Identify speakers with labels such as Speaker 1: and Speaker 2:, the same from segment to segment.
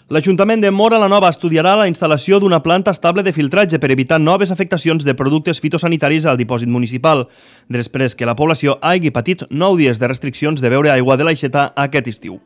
Speaker 1: L'Ajuntament de Móra la Nova estudiarà la instal·lació d'una planta estable de filtratge per evitar noves afectacions de productes fitosanitaris al dipòsit municipal, després que la població hagi patit 9 dies de restriccions de beure aigua de l'aixeta aquest estiu.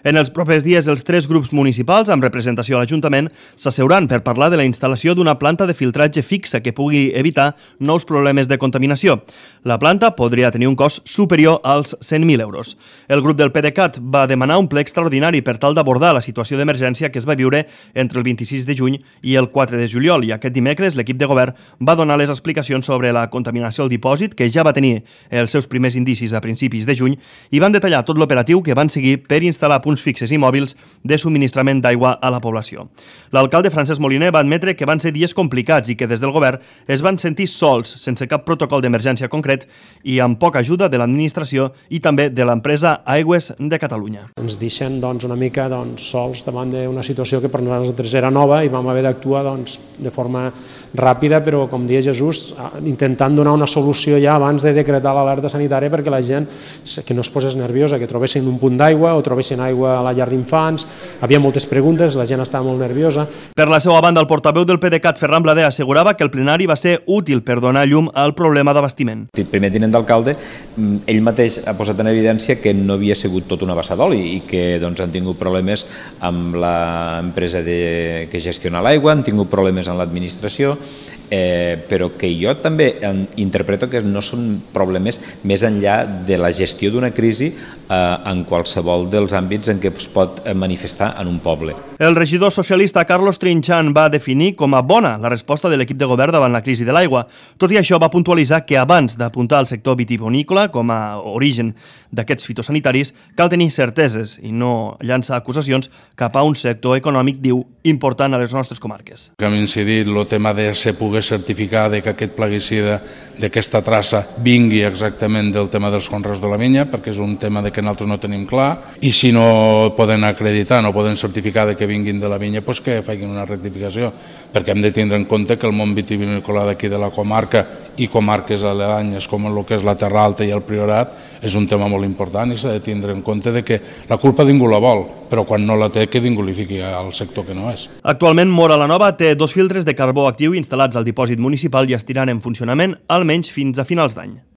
Speaker 1: En els propers dies, els 3 grups municipals, amb representació a l'Ajuntament, s'asseuran per parlar de la instal·lació d'una planta de filtratge fixa que pugui evitar nous problemes de contaminació. La planta podria tenir un cost superior als 100.000 euros. El grup del PDeCAT va demanar un ple extraordinari per tal d'abordar la situació d'emergència que es va viure entre el 26 de juny i el 4 de juliol, i aquest dimecres l'equip de govern va donar les explicacions sobre la contaminació al dipòsit, que ja va tenir els seus primers indicis a principis de juny, i van detallar tot l'operatiu que van seguir per instal·lar punts fixes i mòbils de subministrament d'aigua a la població. L'alcalde Francesc Moliner va admetre que van ser dies complicats i que des del govern es van sentir sols, sense cap protocol d'emergència concret i amb poca ajuda de l'administració i també de l'empresa Aigües de Catalunya.
Speaker 2: Ens deixen una mica sols davant d'una situació que per nosaltres era nova i vam haver d'actuar de forma ràpida, però, com deia Jesús, intentant donar una solució ja abans de decretar l'alerta sanitària perquè la gent que no es posés nerviosa, que trobessin un punt d'aigua o trobessin aigua a la llar d'infants. Havia moltes preguntes, la gent estava molt nerviosa.
Speaker 1: Per la seva banda, el portaveu del PDeCAT, Ferran Blader, assegurava que el plenari va ser útil per donar llum al problema d'abastiment.
Speaker 3: El primer tinent d'alcalde, ell mateix ha posat en evidència que no havia sigut tot una bassa d'oli i que han tingut problemes amb l'empresa que gestiona l'aigua, han tingut problemes amb l'administració, però que jo també interpreto que no són problemes més enllà de la gestió d'una crisi en qualsevol dels àmbits en què es pot manifestar en un poble.
Speaker 1: El regidor socialista Carlos Trinxant va definir com a bona la resposta de l'equip de govern davant la crisi de l'aigua. Tot i això, va puntualitzar que abans d'apuntar al sector vitivinícola com a origen d'aquests fitosanitaris, cal tenir certeses i no llançar acusacions cap a un sector econòmic, diu, important a les nostres comarques.
Speaker 4: Hem incidit el tema de poder certificar que aquest plaguicida d'aquesta traça vingui exactament del tema dels conreus de la vinya, perquè és un tema que nosaltres no tenim clar, i si no poden acreditar, no poden certificar que vinguin de la vinya, doncs que facin una rectificació, perquè hem de tindre en compte que el món vitivinícola d'aquí de la comarca i comarques aledañes com el que és la Terra Alta i el Priorat és un tema molt important i s'ha de tindre en compte que la culpa ningú la vol, però quan no la té que ningú li fiqui al sector que no és.
Speaker 1: Actualment Móra la Nova té 2 filtres de carbó actiu instal·lats al dipòsit municipal i estiran en funcionament almenys fins a finals d'any.